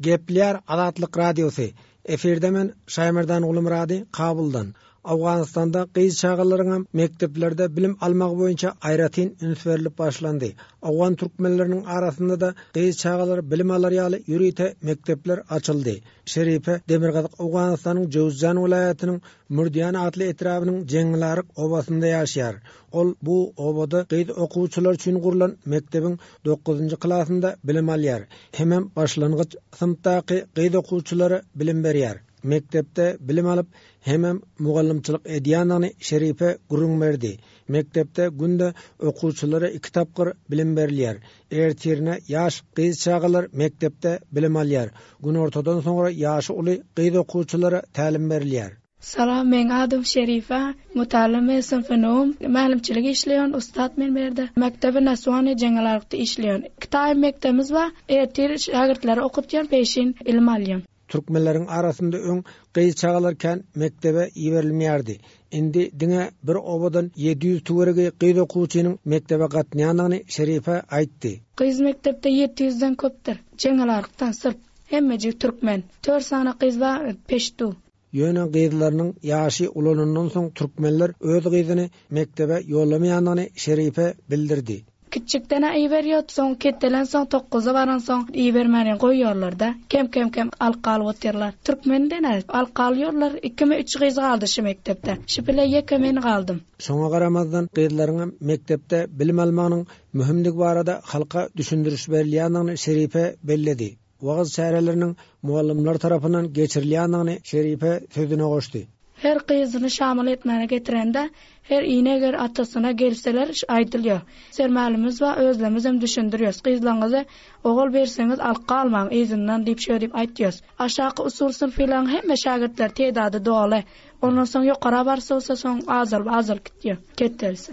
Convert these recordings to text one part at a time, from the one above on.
Gepleýär Azatlyk Radiosy, Efirde men Şaýmerdan Gulumyrady Kabuldan. Owganystanda gyz çagalaryňam mekdeplerde bilim almagy boýunça aýratyn üns berlip başlandy. Owgan türkmenleriniň arasynda-da gyz çagalar bilim alar ýaly ýörite mekdepler açyldy. Şeripe Demirgazyk Owganystanyň Jöwüzjan welaýatynyň Mürdiýan atly etrabynyň Jeňňilaryk obasynda ýaşaýar. Ol bu obada gyz okuwçylar üçin gurlan mekdebiň dokuzynjy klasynda bilim alýar hemem başlangyç synpdaky gyz okuwçylara bilim berýär. Mekdepde bilim alyp hemem mugallymçylyk edýändigini Şeripe gürrüň berdi. Mekdepde günde okuwçylara iki tapgyr bilim berilýär. Ertirine ýaş gyz çagalar mekdepde bilim alýar. Günortadan soňra ýaşy uly gyz okuwçylara tälim berilýär. Salam meň adym Şerife Mutallym synpynym mälimçilik işleýän ussat men bu ýerde mekdebi naswany jeňňelarykda işleýän kitaý mekdebimiz bar ertir şägirtleri okutýan peşin ilim alýan. Türkmenleriň arasynda öň gyz çagalar kän mekdebe iberilmeýärdi. Indi diňe bir obadan 700 töweregi gyz okuwçynyň mekdebe gatnaýandygyny Şerife aýtdy. Gyz mekdepde 700 den köpdür. Jeňňelarykdan syrp. Hemmejigi türkmen. Tört sany gyz bar peştu. Ýöne gyzlarynyň ýaşy ulanyndan soň türkmenler öz gyzyny mekdebe ýollamaýandygyny Şerife bildirdi. Kiçjikden-ä iberýot, soň ketdelensoň tokguza baransoň ibermän goýýarlar-da. Kem-kem-kem alyp galyp otyrlar. Türkmenden-ä alyp galýarlar, ikimi üç gyz galdy şu mekdepde. Şu bile ýeke men galdym. Şoňa garamazdan gyzlaryňam mekdepde bilim almagynyň möhümdigi barada halka düşündiriş berilýändigini Şerife belledi. Wagyz çäreleriniň mugallymlar tarapyndan geçirilýändigini Şerife sözüne goşdy. Her gyzyny şamyl etmäne getirende, her ine eger atasyna gelseler aýdylýar. Sermälimiz bar, özlemizem düşündirýäs. Gyzlaňyzy ogul berseňiz alyp galmaň yzyndan diýip şeý diýip aýtýas. Aşaky usul synpylaryň hemme şägirtleri tedady doly. Ondan soň ýokara barsa bolsa soň azalyp azalyp gitýär. Ketdelse.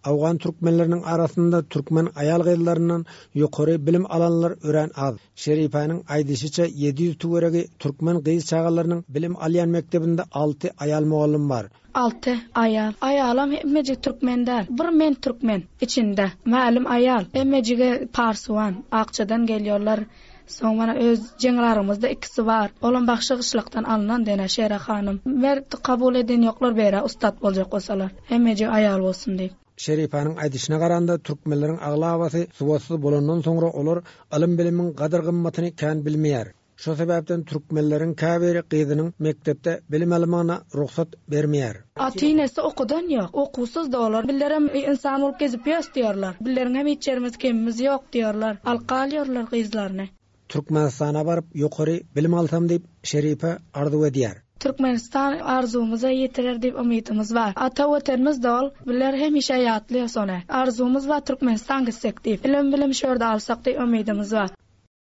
Owgan türkmenleriniň arasynda türkmen aýal-gyzlaryndan ýokary bilim alanlar örän az. Şeripäniň aýdyşyça, 700 töweregi türkmen gyz çagalarynyň bilim alýan mekdebinde alty aýal mugallym bar. Alty aýal. Aýalam hemmejik türkmen däl. Bir men türkmen içinde. Mälim aýal. Hemmejigi parsuwan. Akjadan gelýorlar. Soň mana öz jeňrarymyzda ikisi bar. Olam bagşy gyşlakdan alnan dene Şere hanym. Mert kabul eden ýoklar beýle ussat boljak bolsalar. Hemmejigi aýal bolsun diýip. Şeripanyň aýdyşyna garanda türkmenleriň aglabasy sowatsyz bolandan soňra olar ylym-bilimiň gadyr-gymmatyny kän bilmeýär. Şo sebäpden türkmenleriň käbiri gyzynyň mekdepde bilim almagyna rugsat bermeýär. Ata-enesi okudan ýok. Okuwsyz-da olar. Bizlerem ynsan bolup gezip ýös diýerler. Bizleriňem hiç ýerimiz kemimiz ýok diýerler. Alyp galýarlar gyzlaryny. Türkmenistana baryp ýokary bilim alsam diýip Şeripe arzuw edýär. Türkmenistan arzuwymyza ýetirer diýip umydymyz bar. Ata Watanymyz dol, bizler hemişe ýatlaýas ony. Arzuwymyz bar Türkmenistan gitsek diýip. Ilim bilim şu ýerde alsak diýip umydymyz bar.